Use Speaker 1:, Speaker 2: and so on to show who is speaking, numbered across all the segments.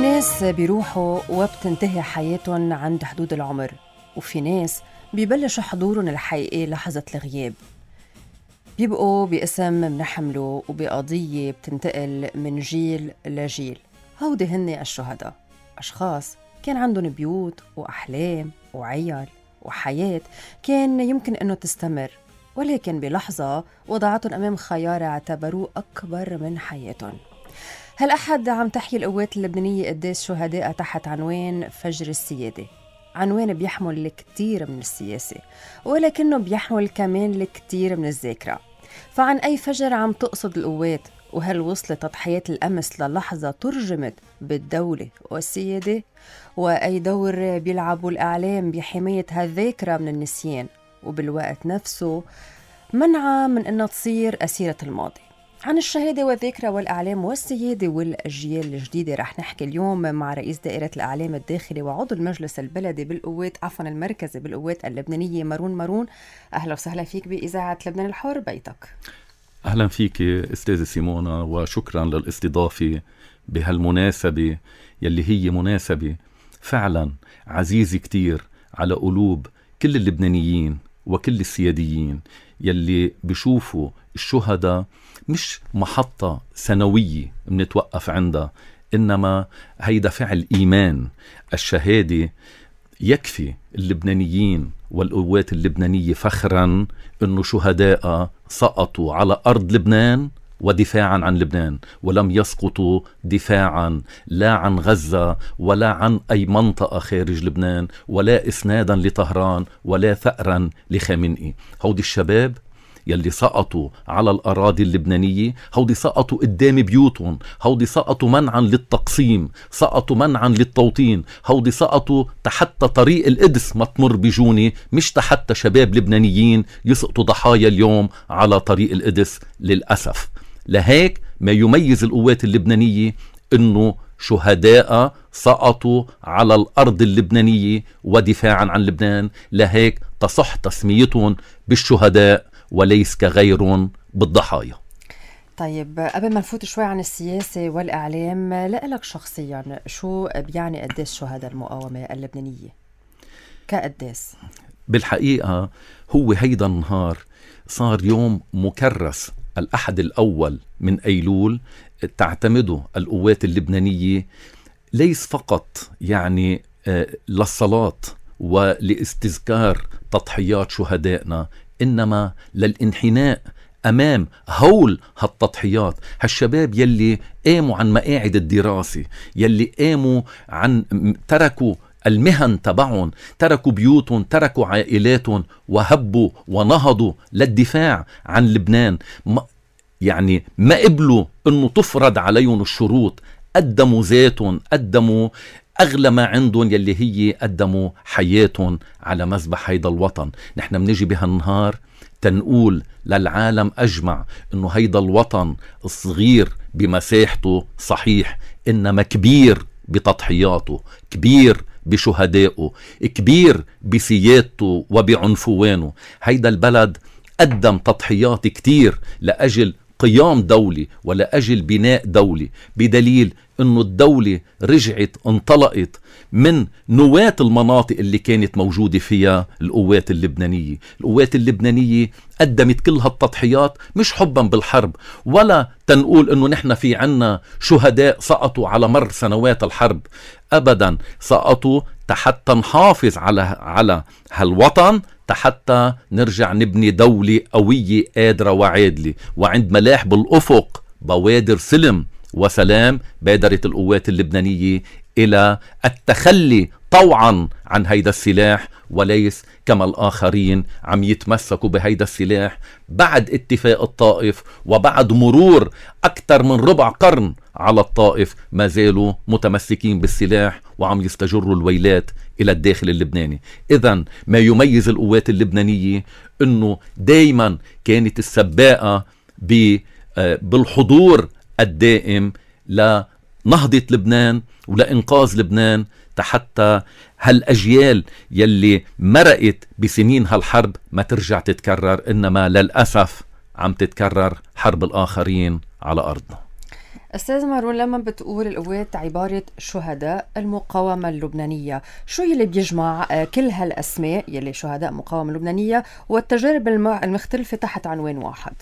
Speaker 1: ناس بيروحوا وبتنتهي حياتهم عند حدود العمر، وفي ناس بيبلشوا حضورهم الحقيقي لحظة الغياب، بيبقوا باسم منحملوا وبقضية بتنتقل من جيل لجيل. هودي هن الشهداء، أشخاص كان عندهم بيوت وأحلام وعيال وحياة كان يمكن أنه تستمر، ولكن بلحظة وضعتهم أمام خيار اعتبروه أكبر من حياتهم. هالأحد عم تحيي القوات اللبنانية قداس شهداء تحت عنوان فجر السيادة، عنوان بيحمل الكثير من السياسة ولكنه بيحمل كمان الكثير من الذاكرة. فعن أي فجر عم تقصد القوات؟ وهل وصلت تضحيات الأمس للحظة ترجمت بالدولة والسيادة؟ وأي دور بيلعبوا الإعلام بحماية هالذاكرة من النسيان وبالوقت نفسه منعها من أنها تصير أسيرة الماضي؟ عن الشهادة والذاكرة والإعلام والسيادة والأجيال الجديدة رح نحكي اليوم مع رئيس دائرة الإعلام الداخلي وعضو المجلس البلدي بالقوات المركزي بالقوات اللبنانية مارون. أهلا وسهلا فيك بإذاعة لبنان الحر بيتك.
Speaker 2: أهلا فيك أستاذة سيمونا، وشكرا للاستضافة بهالمناسبة يلي هي مناسبة فعلا عزيزة كتير على قلوب كل اللبنانيين وكل السياديين يلي بيشوفوا الشهداء مش محطة سنوية منتوقف عندها، إنما هيدا فعل إيمان. الشهادة يكفي اللبنانيين والقوات اللبنانية فخرا إنه شهداء سقطوا على أرض لبنان ودفاعا عن لبنان، ولم يسقطوا دفاعا لا عن غزة ولا عن أي منطقة خارج لبنان ولا إسنادا لطهران ولا ثأرا لخامنئي. هودي الشباب يلي سقطوا على الأراضي اللبنانية، هودي سقطوا قدام بيوتهم، هودي سقطوا منعا للتقسيم، سقطوا منعا للتوطين، هودي سقطوا تحت طريق القدس ما تمر بجوني، مش تحت شباب لبنانيين يسقطوا ضحايا اليوم على طريق القدس للأسف. لهيك ما يميز القوات اللبنانية إنه شهداء سقطوا على الأرض اللبنانية ودفاعا عن لبنان، لهيك تصح تسميتهم بالشهداء وليس كغيرهم بالضحايا.
Speaker 1: طيب قبل ما نفوت شوي عن السياسة والإعلام، لألك شخصيا شو بيعني قداس شهداء المقاومة اللبنانية كقداس؟
Speaker 2: بالحقيقة هو هيدا النهار صار يوم مكرس، الأحد الأول من أيلول تعتمده القوات اللبنانية ليس فقط يعني للصلاة ولاستذكار تضحيات شهدائنا، إنما للانحناء أمام هول هالتضحيات. هالشباب يلي قاموا عن مقاعد الدراسة، يلي قاموا عن تركوا المهن تبعهم، تركوا بيوتهم، تركوا عائلاتهم، وهبوا ونهضوا للدفاع عن لبنان. يعني ما قبلوا انه تفرض عليهم الشروط، قدموا ذاتهم، قدموا أغلى ما عندهم يلي هي قدموا حياتهم على مذبح هيدا الوطن. نحن منجي بهالنهار تنقول للعالم أجمع إنه هيدا الوطن الصغير بمساحته صحيح، إنما كبير بتضحياته، كبير بشهدائه، كبير بسيادته وبعنفوانه. هيدا البلد قدم تضحيات كتير لأجل قيام دولي ولأجل بناء دولي، بدليل انه الدولة رجعت انطلقت من نواة المناطق اللي كانت موجودة فيها القوات اللبنانية. القوات اللبنانية قدمت كل هالتضحيات مش حبا بالحرب، ولا تنقول انه نحن في عنا شهداء سقطوا على مر سنوات الحرب، ابدا، سقطوا حتى نحافظ على هالوطن، حتى نرجع نبني دولة قوية قادرة وعادلة. وعند ملاح بالأفق بوادر سلم وسلام بادرت القوات اللبنانية إلى التخلي طوعا عن هيدا السلاح، وليس كما الآخرين عم يتمسكوا بهيدا السلاح بعد اتفاق الطائف وبعد مرور أكثر من ربع قرن على الطائف، ما زالوا متمسكين بالسلاح وعم يستجروا الويلات إلى الداخل اللبناني. إذن ما يميز القوات اللبنانية أنه دايما كانت السباقة بالحضور الدائم لنهضة لبنان ولإنقاذ لبنان، حتى هالأجيال يلي مرقت بسنين هالحرب ما ترجع تتكرر، إنما للأسف عم تتكرر حرب الآخرين على أرضنا.
Speaker 1: أستاذ مارون، لما بتقول القوات عبارة شهداء المقاومة اللبنانية، شو يلي بيجمع كل هالأسماء يلي شهداء مقاومة اللبنانية والتجارب المختلفة تحت عنوان واحد؟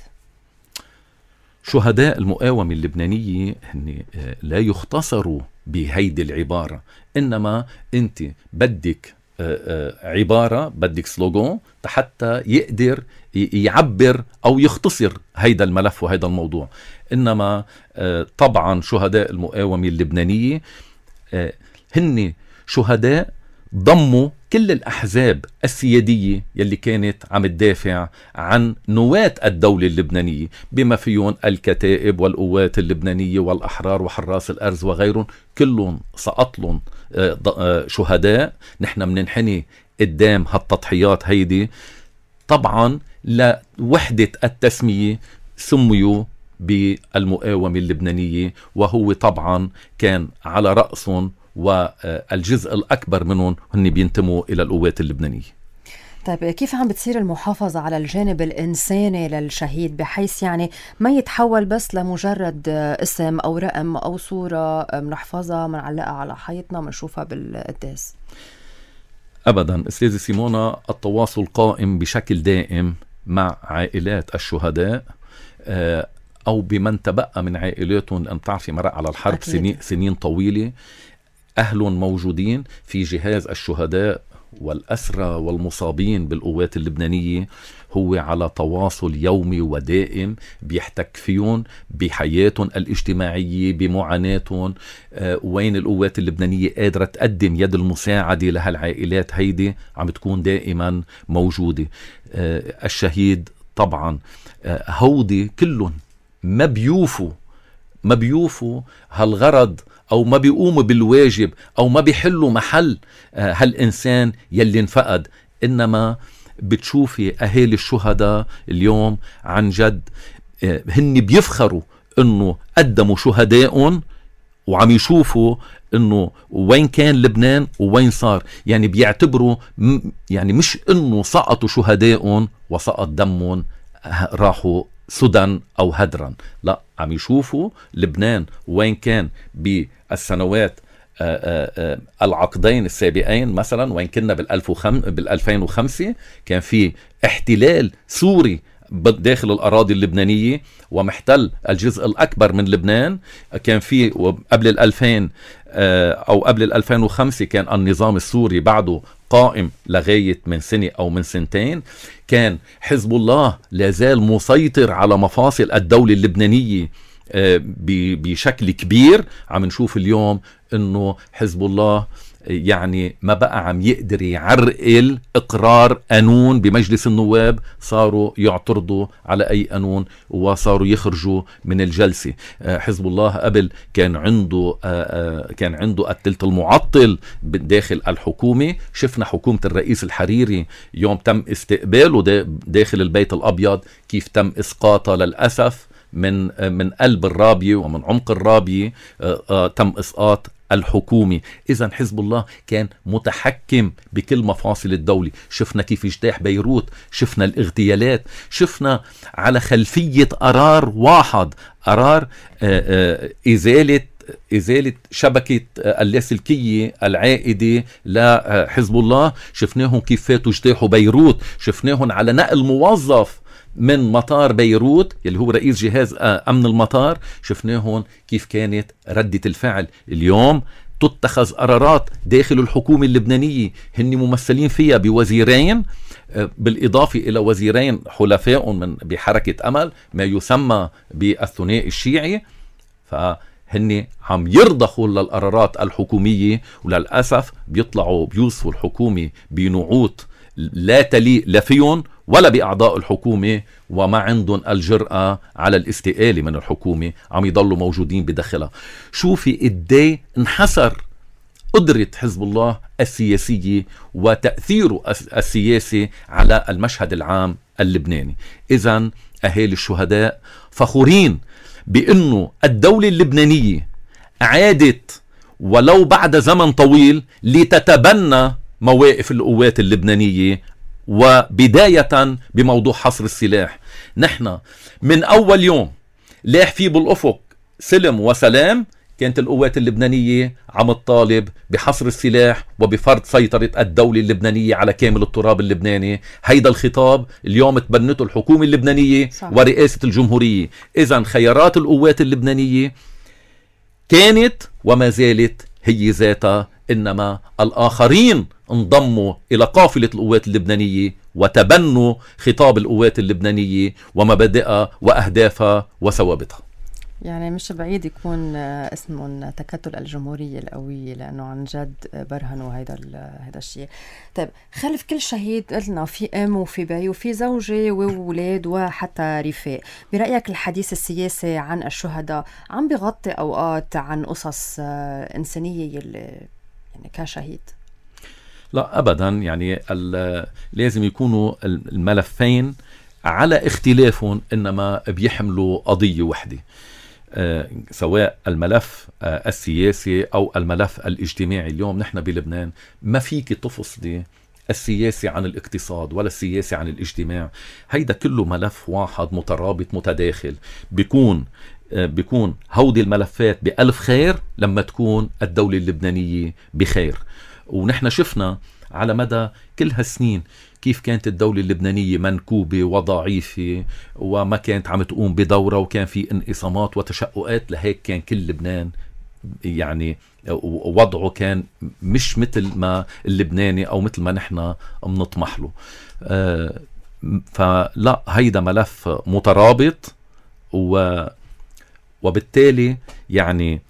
Speaker 2: شهداء المقاومة اللبنانية هن لا يختصروا بهيدي العبارة، إنما أنت بدك عبارة، بدك سلوغون حتى يقدر يعبر أو يختصر هيدا الملف وهيدا الموضوع. إنما طبعا شهداء المقاومة اللبنانية هن شهداء ضموا كل الأحزاب السيادية يلي كانت عم تدافع عن نواة الدولة اللبنانية، بما فيهم الكتائب والقوات اللبنانية والأحرار وحراس الأرز وغيرهم، كلهم سقط لهم شهداء. نحن مننحني قدام هالتضحيات هيدي. طبعا لوحدة التسمية سميوا بالمقاومة اللبنانية، وهو طبعا كان على رأسهم والجزء الأكبر منهم هن بينتموا إلى القوات اللبنانية.
Speaker 1: طيب كيف عم بتصير المحافظة على الجانب الإنساني للشهيد، بحيث يعني ما يتحول بس لمجرد اسم أو رقم أو صورة منحفظها منعلقها على حيطنا منشوفها بالقداس؟
Speaker 2: أبدا أستاذة سيمونا، التواصل قائم بشكل دائم مع عائلات الشهداء أو بمن تبقى من عائلاتهم، لأن تعرفي مرق على الحرب سنين طويلة. أهل موجودين في جهاز الشهداء والأسرى والمصابين بالقوات اللبنانية، هو على تواصل يومي ودائم، بيحتك فيهم بحياتهم الاجتماعية، بمعاناتهم، وين القوات اللبنانية قادرة تقدم يد المساعدة لهالعائلات هيدي عم تكون دائما موجودة. الشهيد طبعا هودي كلهم ما بيوفوا هالغرض، أو ما بيقوموا بالواجب، أو ما بيحلوا محل هالإنسان يلي انفقد. إنما بتشوفي أهالي الشهداء اليوم عن جد هن بيفخروا إنه قدموا شهدائهم، وعم يشوفوا إنه وين كان لبنان ووين صار. يعني بيعتبروا يعني مش إنه سقطوا شهدائهم وسقط دمهم راحوا سدى أو هدرا، لا، عم يشوفوا لبنان وين كان بالسنوات العقدين السابقين. مثلا وين كنا بال2005 كان في احتلال سوري داخل الأراضي اللبنانية ومحتل الجزء الأكبر من لبنان. كان في قبل 2000 أو قبل 2005 كان النظام السوري بعده قائم لغاية من سنة أو من سنتين. كان حزب الله لازال مسيطر على مفاصل الدولة اللبنانية بشكل كبير. عم نشوف اليوم انه حزب الله يعني ما بقى عم يقدر يعرقل اقرار قانون بمجلس النواب، صاروا يعترضوا على اي قانون وصاروا يخرجوا من الجلسة. حزب الله قبل كان عنده الثلث المعطل داخل الحكومة. شفنا حكومة الرئيس الحريري يوم تم استقباله داخل البيت الابيض كيف تم اسقاطه للأسف من قلب الرابية ومن عمق الرابية. تم اسقاط الحكومة. إذن حزب الله كان متحكم بكل مفاصل الدولة. شفنا كيف اجتاح بيروت، شفنا الاغتيالات، شفنا على خلفية قرار واحد، قرار إزالة شبكة اللاسلكية العائدة لحزب الله. شفناهم كيف فاتوا اجتاحوا بيروت، شفناهم على نقل موظف من مطار بيروت اللي هو رئيس جهاز أمن المطار. شفناهم كيف كانت ردة الفعل. اليوم تتخذ قرارات داخل الحكومة اللبنانية هن ممثلين فيها بوزيرين، بالإضافة إلى وزيرين حلفاء بحركة أمل، ما يسمى بالثنائي الشيعي. فهن عم يرضخوا للقرارات الحكومية، وللأسف بيطلعوا بيوصفوا الحكومة بنعوت لا تليق لا فيهم ولا بأعضاء الحكومة، وما عندهم الجرأة على الاستقالة من الحكومة، عم يضلوا موجودين بداخلها. شوفي قدي انحسر قدرة حزب الله السياسية وتأثيره السياسي على المشهد العام اللبناني. إذن أهالي الشهداء فخورين بأنه الدولة اللبنانية عادت ولو بعد زمن طويل لتتبنى مواقف القوات اللبنانية، وبداية بموضوع حصر السلاح. نحن من أول يوم لاح فيه بالأفق سلم وسلام كانت القوات اللبنانية عم تطالب بحصر السلاح وبفرض سيطرة الدولة اللبنانية على كامل التراب اللبناني. هيدا الخطاب اليوم تبنته الحكومة اللبنانية صح. ورئاسة الجمهورية. إذن خيارات القوات اللبنانية كانت وما زالت هي ذاتها، إنما الآخرين انضموا إلى قافلة القوات اللبنانية وتبنوا خطاب القوات اللبنانية ومبادئها وأهدافها وثوابتها.
Speaker 1: يعني مش بعيد يكون اسمهم تكتل الجمهورية القوية، لأنه عن جد برهنوا هيدا الشيء. طيب خلف كل شهيد قلنا في أم وفي بي وفي زوجة وولاد وحتى رفاق. برأيك الحديث السياسي عن الشهداء عم بيغطي أوقات عن قصص إنسانية يعني كشهيد؟
Speaker 2: لا أبدا، يعني لازم يكونوا الملفين على اختلافهم إنما بيحملوا قضية وحدة. سواء الملف السياسي أو الملف الاجتماعي. اليوم نحن بلبنان ما فيك تفصلي السياسي عن الاقتصاد ولا السياسي عن الاجتماع. هيدا كله ملف واحد مترابط متداخل. بيكون هودي الملفات بألف خير لما تكون الدولة اللبنانية بخير. ونحن شفنا على مدى كل هالسنين كيف كانت الدولة اللبنانية منكوبة وضعيفة وما كانت عم تقوم بدورة، وكان في انقسامات وتشققات. لهيك كان كل لبنان يعني وضعه كان مش مثل ما اللبناني أو مثل ما نحن بنطمح له. فلا، هيدا ملف مترابط وبالتالي يعني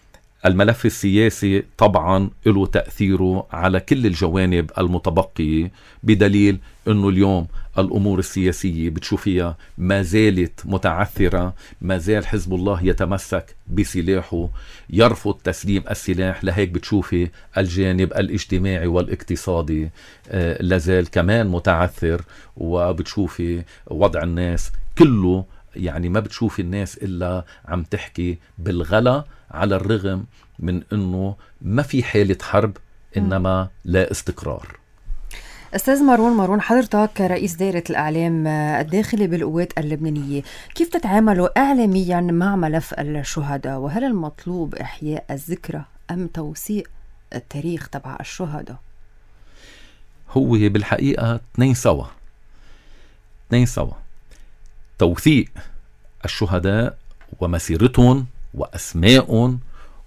Speaker 2: الملف السياسي طبعا له تأثيره على كل الجوانب المتبقية، بدليل أنه اليوم الأمور السياسية بتشوفيها ما زالت متعثرة. ما زال حزب الله يتمسك بسلاحه، يرفض تسليم السلاح. لهيك بتشوفي الجانب الاجتماعي والاقتصادي لازال كمان متعثر، وبتشوفي وضع الناس كله يعني ما بتشوفي الناس إلا عم تحكي بالغلا، على الرغم من أنه ما في حالة حرب إنما لا استقرار.
Speaker 1: أستاذ مارون، حضرتك رئيس دائرة الإعلام الداخلي بالقوات اللبنانية، كيف تتعاملوا إعلاميا مع ملف الشهداء؟ وهل المطلوب إحياء الذكرى أم توثيق التاريخ تبع الشهداء؟
Speaker 2: هو بالحقيقة اثنين سوا. توثيق الشهداء ومسيرتهم وأسماءهم،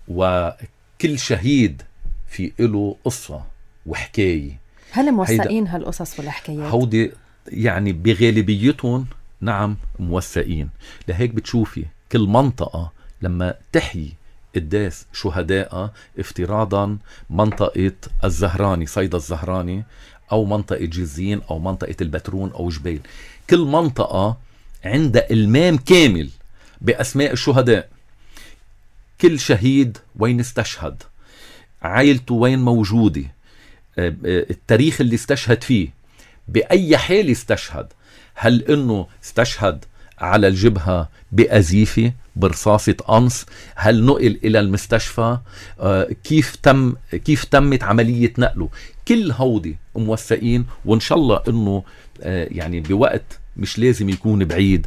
Speaker 2: وكل شهيد في له قصة وحكاية.
Speaker 1: هل موثقين هالقصص والحكايات؟
Speaker 2: هودي يعني بغالبيتهم نعم موثقين. لهيك بتشوفي كل منطقة لما تحيي قداس شهداء، افتراضا منطقة الزهراني، صيدا الزهراني، أو منطقة جزين، أو منطقة البترون، أو جبيل، كل منطقة عندها المام كامل بأسماء الشهداء. كل شهيد وين استشهد، عائلته وين موجودة، التاريخ اللي استشهد فيه، بأي حال استشهد، هل إنه استشهد على الجبهة بأزيفة برصاصة قنص، هل نقل إلى المستشفى، كيف تمت عملية نقله. كل هودي موثقين، وإن شاء الله إنه يعني بوقت مش لازم يكون بعيد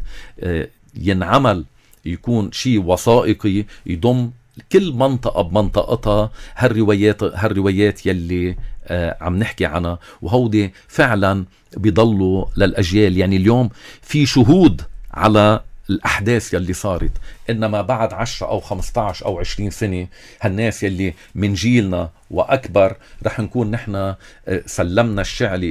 Speaker 2: ينعمل يكون شيء وثائقي يضم كل منطقة بمنطقتها هالروايات يلي عم نحكي عنها. وهودي فعلا بيضلوا للأجيال. يعني اليوم في شهود على الأحداث يلي صارت، إنما بعد 10 أو 15 أو 20 سنة هالناس يلي من جيلنا وأكبر رح نكون نحن سلمنا الشعلة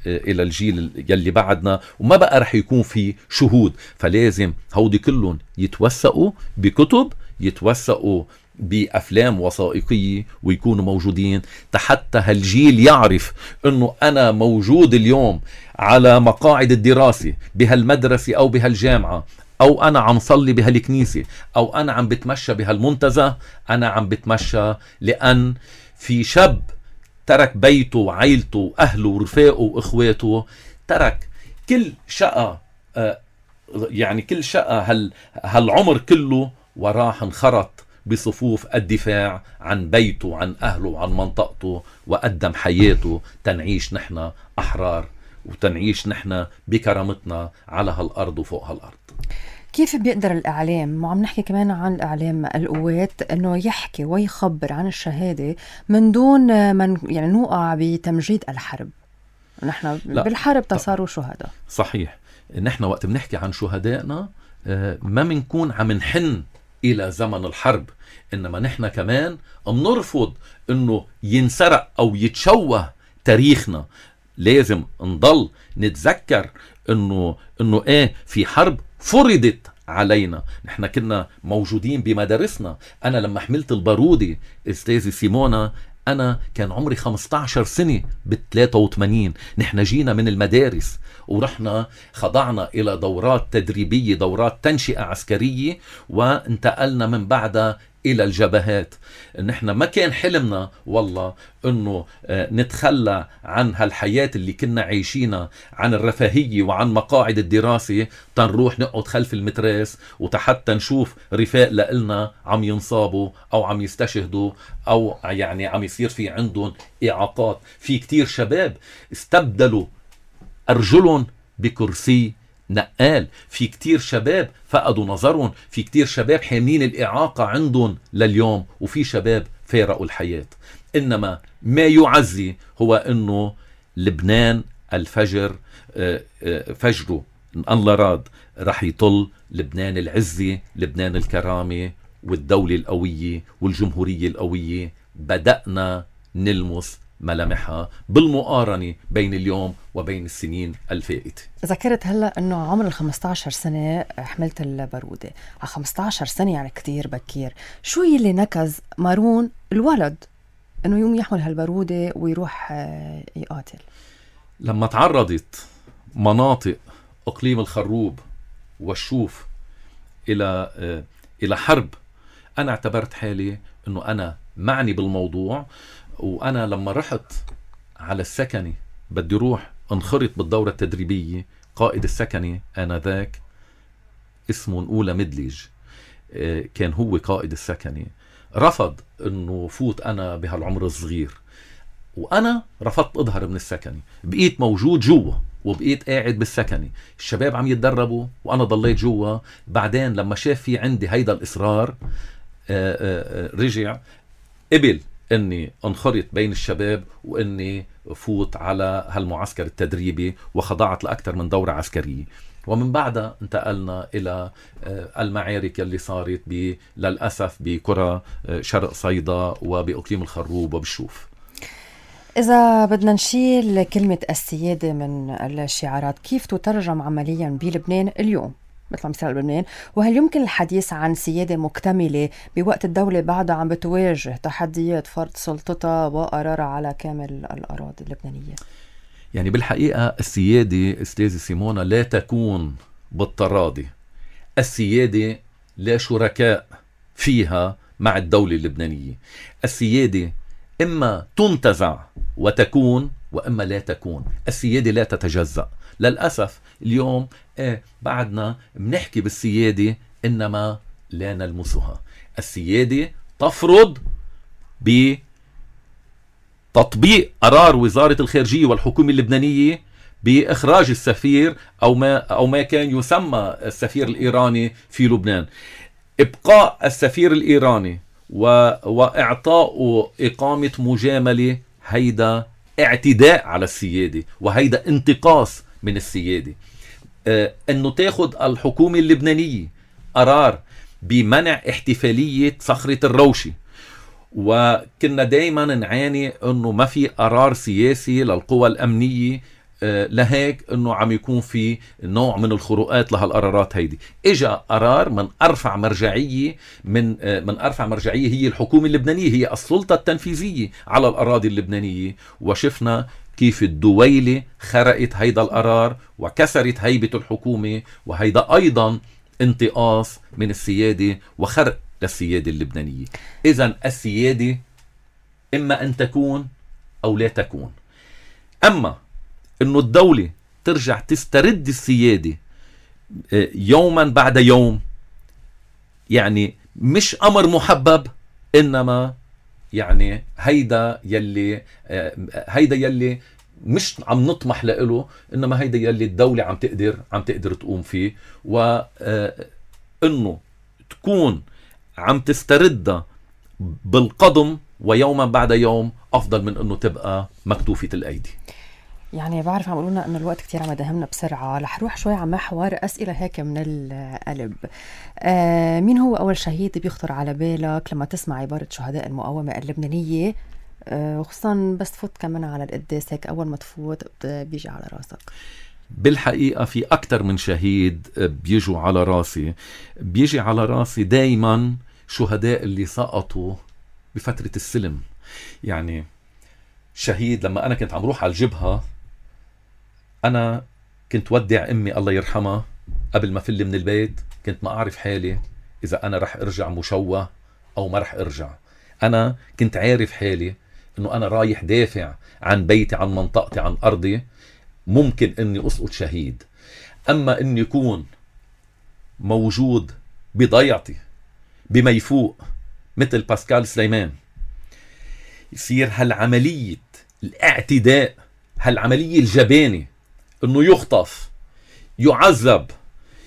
Speaker 2: إلى الجيل يلي بعدنا، وما بقى رح يكون في شهود. فلازم هودي كلهم يتوثقوا بكتب، يتوثقوا بأفلام وثائقية، ويكونوا موجودين حتى هالجيل يعرف أنه أنا موجود اليوم على مقاعد الدراسة بهالمدرسة أو بهالجامعة، أو أنا عم صلي بهالكنيسة، أو أنا عم بتمشى بهالمنتزه. أنا عم بتمشى لأن في شاب ترك بيته وعائلته وأهله ورفاقه وإخواته، ترك كل شقة، يعني كل شقة هالعمر كله، وراح انخرط بصفوف الدفاع عن بيته وعن أهله وعن منطقته، وقدم حياته تنعيش نحن أحرار، وتنعيش نحن بكرامتنا على هالأرض وفوق هالأرض.
Speaker 1: كيف بيقدر الإعلام، وعم نحكي كمان عن الإعلام القوات، أنه يحكي ويخبر عن الشهادة من دون من يعني نوقع بتمجيد الحرب؟ نحن بالحرب تصاروا شهداء.
Speaker 2: صحيح. نحن وقت بنحكي عن شهدائنا ما منكون عم نحن إلى زمن الحرب، إنما نحن كمان منرفض إنه ينسرق أو يتشوه تاريخنا. لازم نضل نتذكر إنه في حرب فرضت علينا. نحن كنا موجودين بمدارسنا. أنا لما حملت البارودة أستاذي سيمونا أنا كان عمري 15 سنة ب83. نحن جينا من المدارس ورحنا خضعنا إلى دورات تدريبية، دورات تنشئة عسكرية، وانتقلنا من بعدها إلى الجبهات. نحن ما كان حلمنا والله أنه نتخلى عن هالحياة اللي كنا عايشينها، عن الرفاهية وعن مقاعد الدراسة، تنروح نقعد خلف المتراس وتحتى نشوف رفاق لنا عم ينصابوا أو عم يستشهدوا أو يعني عم يصير في عندهم إعاقات. في كتير شباب استبدلوا أرجلهم بكرسي نقال، في كتير شباب فقدوا نظرهم، في كتير شباب حاملين الإعاقة عندهم لليوم، وفي شباب فارقوا الحياة. إنما ما يعزي هو أنه لبنان الفجر فجره الله راد رح يطل. لبنان العزة، لبنان الكرامة والدولة القوية والجمهورية القوية بدأنا نلمس ملامحها بالمقارنة بين اليوم وبين السنين الفائتة.
Speaker 1: ذكرت هلأ أنه عمر 15 سنة حملت البارودة. على 15 سنة يعني كتير بكير. شو يلي نكز مارون الولد أنه يوم يحمل هالبارودة ويروح يقاتل؟
Speaker 2: لما تعرضت مناطق أقليم الخروب والشوف إلى حرب، أنا اعتبرت حالي أنه أنا معني بالموضوع. وأنا لما رحت على السكني بدي روح انخرط بالدورة التدريبية، قائد السكني آنذاك اسمه نقولة مدلج، كان هو قائد السكني، رفض انه فوت انا بهالعمر الصغير. وانا رفضت اظهر من السكني، بقيت موجود جوا وبقيت قاعد بالسكني، الشباب عم يتدربوا وانا ضليت جوا. بعدين لما شاف في عندي هيدا الاصرار رجع قبل اني انخرط بين الشباب واني فوت على هالمعسكر التدريبي، وخضعت لاكثر من دورة عسكرية. ومن بعدها انتقلنا الى المعارك اللي صارت للاسف بقرى شرق صيدا وباقليم الخروب وبالشوف.
Speaker 1: إذا بدنا نشيل كلمة السيادة من الشعارات، كيف تترجم عمليا بلبنان اليوم مثل مثال بلبنان؟ وهل يمكن الحديث عن سيادة مكتملة بوقت الدولة بعدها عم بتواجه تحديات فرض سلطتها وقرارها على كامل الأراضي اللبنانية؟
Speaker 2: يعني بالحقيقة السيادة أستاذي سيمونا لا تكون بالتراضي. السيادة لا شركاء فيها مع الدولة اللبنانية. السيادة إما تنتزع وتكون وإما لا تكون. السيادة لا تتجزأ. للأسف اليوم بعدنا بنحكي بالسيادة إنما لا نلمسها. السيادة تفرض بتطبيق قرار وزارة الخارجية والحكومة اللبنانية بإخراج السفير أو ما كان يسمى السفير الإيراني في لبنان. إبقاء السفير الإيراني وإعطاء إقامة مجاملة، هيدا اعتداء على السيادة وهيدا انتقاص من السيادة. أنه تاخد الحكومة اللبنانية قرار بمنع احتفالية صخرة الروشي، وكنا دايما نعاني أنه ما في قرار سياسي للقوى الأمنية، لهيك أنه عم يكون في نوع من الخروقات لهالقرارات هيدي. إجا قرار من أرفع مرجعية من أرفع مرجعية هي الحكومة اللبنانية، هي السلطة التنفيذية على الأراضي اللبنانية، وشفنا كيف الدويلة خرقت هيدا القرار وكسرت هيبة الحكومة، وهيدا أيضا انتقاص من السيادة وخرق للسيادة اللبنانية. إذن السيادة إما أن تكون أو لا تكون. أما إنه الدولة ترجع تسترد السيادة يوما بعد يوم، يعني مش أمر محبب، إنما يعني هيدا يلي مش عم نطمح له، إنما هيدا يلي الدولة عم تقدر تقوم فيه. انه تكون عم تستردها بالقضم ويوما بعد يوم أفضل من أنه تبقى مكتوفة الأيدي.
Speaker 1: يعني بعرف عم قلنا أنه الوقت كتير عم يدهمنا بسرعة. رح روح شوي على محور أسئلة هيك من القلب. مين هو أول شهيد بيخطر على بالك لما تسمع عبارة شهداء المقاومة اللبنانية، وخصوصا بس تفوت كمان على القداس هيك أول ما تفوت بيجي على راسك؟
Speaker 2: بالحقيقة في أكتر من شهيد بيجوا على راسي. بيجي على راسي دايما شهداء اللي سقطوا بفترة السلم. يعني شهيد لما أنا كنت عم روح على الجبهة، أنا كنت ودع أمي الله يرحمها قبل ما فل من البيت، كنت ما أعرف حالي إذا أنا رح أرجع مشوه أو ما رح أرجع. أنا كنت عارف حالي أنه أنا رايح دافع عن بيتي، عن منطقتي، عن أرضي، ممكن أني أسقط شهيد. أما أني يكون موجود بضيعتي بما يفوق مثل باسكال سليمان، يصير هالعملية الاعتداء، هالعملية الجبانة، انه يخطف، يعذب،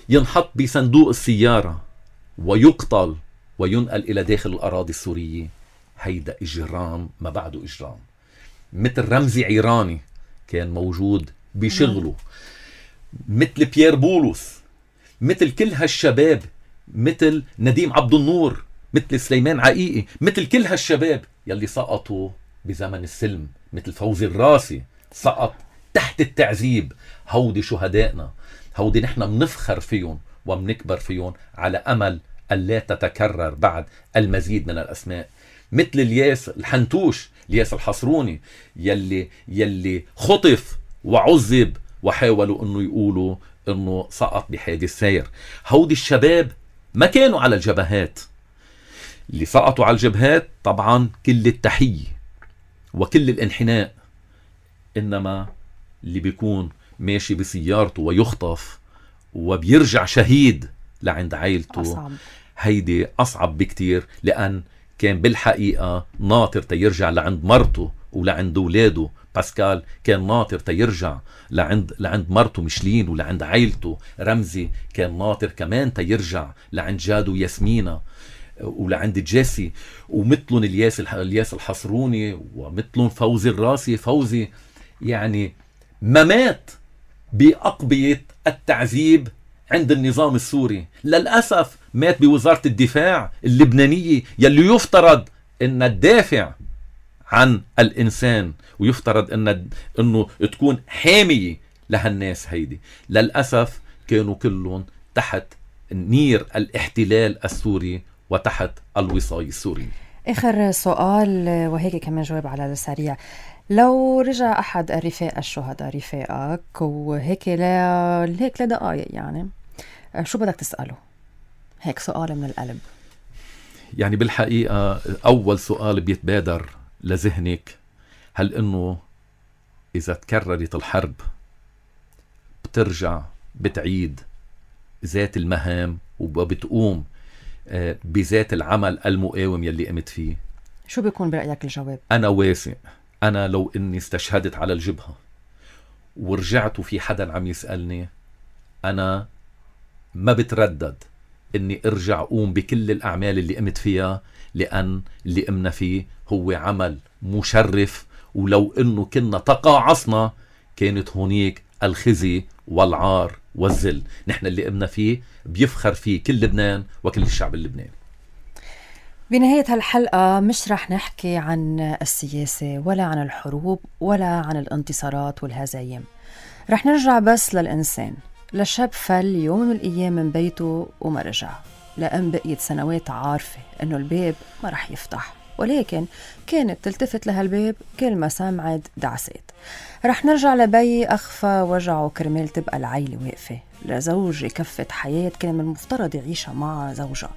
Speaker 2: ينحط بصندوق السيارة ويقتل وينقل الى داخل الاراضي السورية، هيدا اجرام ما بعده اجرام. مثل رمزي عيراني كان موجود بشغله، مثل بيير بولس، مثل كل هالشباب، مثل نديم عبد النور، مثل سليمان عقيقي، مثل كل هالشباب يلي سقطوا بزمن السلم، مثل فوزي الراسي سقط تحت التعذيب. هودي شهدائنا، هودي نحن منفخر فيهم ومنكبر فيهم على أمل ألا تتكرر بعد المزيد من الأسماء. مثل الياس الحنتوش، الياس الحصروني، يلي خطف وعذب وحاولوا انه يقولوا انه سقط بحادث سير. هودي الشباب ما كانوا على الجبهات. اللي سقطوا على الجبهات طبعا كل التحية وكل الانحناء، انما اللي بيكون ماشي بسيارته ويخطف وبيرجع شهيد لعند عائلته
Speaker 1: أصعب.
Speaker 2: هيدي أصعب بكتير، لأن كان بالحقيقة ناطر تيرجع لعند مرته ولعند أولاده. باسكال كان ناطر تيرجع لعند مرته مشلين ولعند عائلته. رمزي كان ناطر كمان تيرجع لعند جاده ياسمينة ولعند جيسي، ومثلهم الياس الحصروني، ومثلهم فوزي الراسي. فوزي يعني ما مات بأقبية التعذيب عند النظام السوري، للأسف مات بوزارة الدفاع اللبنانية يلي يفترض أن تدافع عن الإنسان ويفترض أنه تكون حامية لهالناس هيدي. للأسف كانوا كلهم تحت نير الاحتلال السوري وتحت الوصاية السوري.
Speaker 1: آخر سؤال وهيك كمان جواب على السريع. لو رجع أحد الرفاق الشهداء رفاقك وهيك هيك لدقايق، يعني شو بدك تسأله؟ هيك سؤال من القلب.
Speaker 2: يعني بالحقيقة أول سؤال بيتبادر لذهنك، هل إنه إذا تكررت الحرب بترجع بتعيد ذات المهام وبتقوم بذات العمل المقاوم يلي قمت فيه؟
Speaker 1: شو بيكون برأيك الجواب؟
Speaker 2: أنا واثق، أنا لو إني استشهدت على الجبهة ورجعت وفي حدا عم يسألني، أنا ما بتردد إني أرجع أقوم بكل الأعمال اللي قمت فيها، لأن اللي قمنا فيه هو عمل مشرف. ولو إنه كنا تقاعصنا كانت هونيك الخزي والعار والذل. نحن اللي قمنا فيه بيفخر فيه كل لبنان وكل الشعب اللبناني.
Speaker 1: بنهاية هالحلقة مش رح نحكي عن السياسة ولا عن الحروب ولا عن الانتصارات والهزايم. رح نرجع بس للإنسان، لشاب فل يوم من الأيام من بيته وما رجع، لأن بقيت سنوات عارفة إنه الباب ما رح يفتح، ولكن كانت تلتفت لهالباب كل ما سمعت دعسات. رح نرجع لبي أخفى وجعه كرمال تبقى العيلة واقفة، لزوج كفت حياة كان من المفترض يعيشها مع زوجها.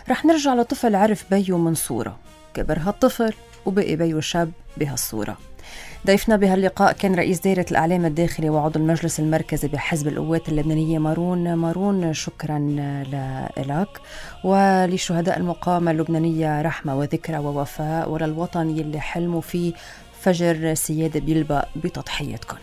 Speaker 1: رح نرجع لطفل عرف بيه من صورة، كبر هالطفل وبقي بيه شاب بهالصورة. ضيفنا بهاللقاء كان رئيس دائرة الإعلام الداخلي وعضو المجلس المركزي بحزب القوات اللبنانية مارون. شكرا لك، ولشهداء المقاومة اللبنانية رحمة وذكرى ووفاء، وللوطن يلي حلموا فيه فجر سيادة بيلبق بتضحيتكم.